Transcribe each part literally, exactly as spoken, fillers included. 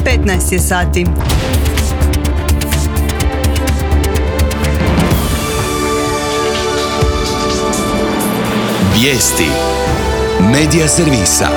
petnaest je sati. Vijesti Medija servisa.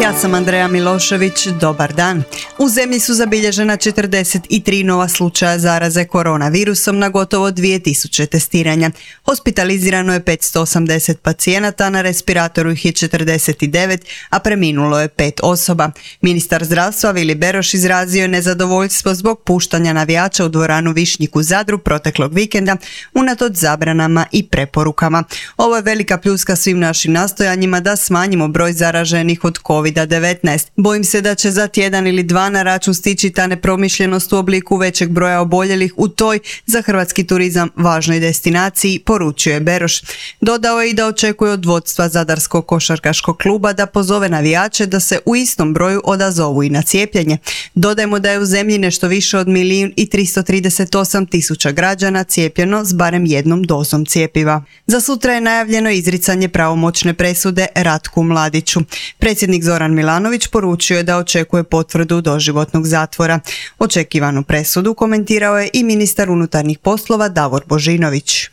Ja sam Andreja Milošević, dobar dan. U zemlji su zabilježena četrdeset tri nova slučaja zaraze koronavirusom na gotovo dvije tisuće testiranja. Hospitalizirano je petsto osamdeset pacijenata, na respiratoru ih je četrdeset devet, a preminulo je pet osoba. Ministar zdravstva Vili Beroš izrazio je nezadovoljstvo zbog puštanja navijača u dvoranu Višnjik u Zadru proteklog vikenda, unatoč zabranama i preporukama. Ovo je velika pljuska svim našim nastojanjima da smanjimo broj zaraženih od kovid devetnaest. Bojim se da će za tjedan ili dva na račun stići ta nepromišljenost u obliku većeg broja oboljelih u toj za hrvatski turizam važnoj destinaciji, poručio je Beroš. Dodao je i da očekuje od vodstva Zadarskog košarkaškog kluba da pozove navijače da se u istom broju odazovu i na cijepljenje. Dodajmo da je u zemlji nešto više od milijun i tristo trideset osam tisuća građana cijepljeno s barem jednom dozom cjepiva. Za sutra je najavljeno izricanje pravomoćne presude Ratku Mladiću. Predsjednik Zoran Milanović poručio je da očekuje potvrdu doživotnog zatvora. Očekivanu presudu komentirao je i ministar unutarnjih poslova Davor Božinović.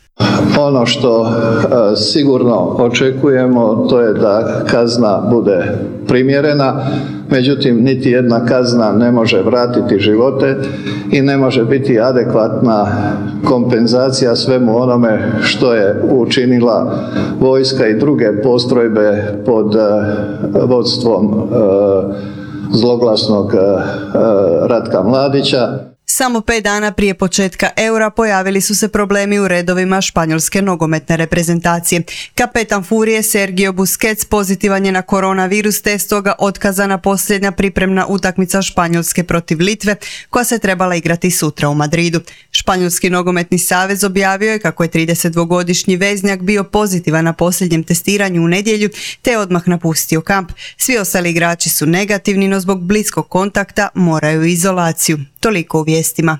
Ono što e, sigurno očekujemo, to je da kazna bude primjerena, međutim niti jedna kazna ne može vratiti živote i ne može biti adekvatna kompenzacija svemu onome što je učinila vojska i druge postrojbe pod e, vodstvom e, zloglasnog e, Ratka Mladića. Samo pet dana prije početka eura pojavili su se problemi u redovima španjolske nogometne reprezentacije. Kapetan Furije Sergio Busquets pozitivan je na koronavirus, te stoga otkazana posljednja pripremna utakmica Španjolske protiv Litve, koja se trebala igrati sutra u Madridu. Španjolski nogometni savez objavio je kako je tridesetdvogodišnji veznjak bio pozitivan na posljednjem testiranju u nedjelju, te je odmah napustio kamp. Svi ostali igrači su negativni, no zbog bliskog kontakta moraju u izolaciju. Toliko u vijestima.